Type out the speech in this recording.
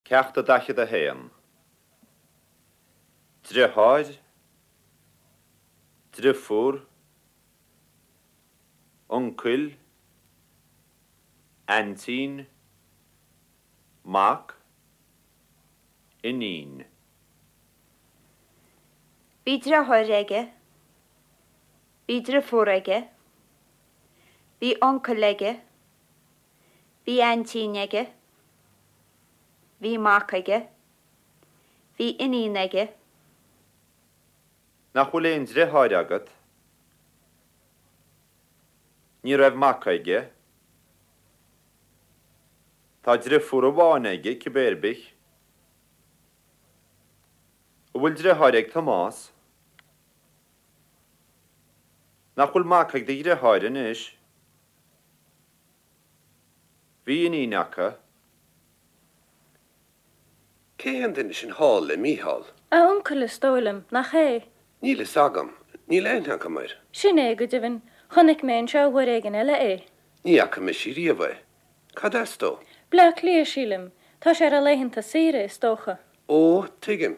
Ceacht 41. Driotháir, driofúr, uncail, aintín, mac, iníon. Bhí driotháir aige. Bhí driofúr aige. Bhí uncail aige. Bhí aintín aige. Bhí mac aige. Bhí iníon aige. Nach bhfuil aon driotháir agat? Ní raibh mac aige. Tá driofúr amháin aige, cibé ar bith. An bhfuil driotháir ag Tomás? Nach bhfuil mac ag do dhriotháir anois? Bhí iníon acu. Cé hé an duine sin thall le Mícheál? A uncail, is dóigh liom, nach é? Níl fhios agam. Níl aithne agam air. Sin é, go deimhin. Chonaic mé anseo uair éigin eile é. Ní fhaca mise riamh é. Cad as dó? Bleá Cliath, sílim. Tá sé ar a laethanta saoire, is dócha. Ó, tuigim.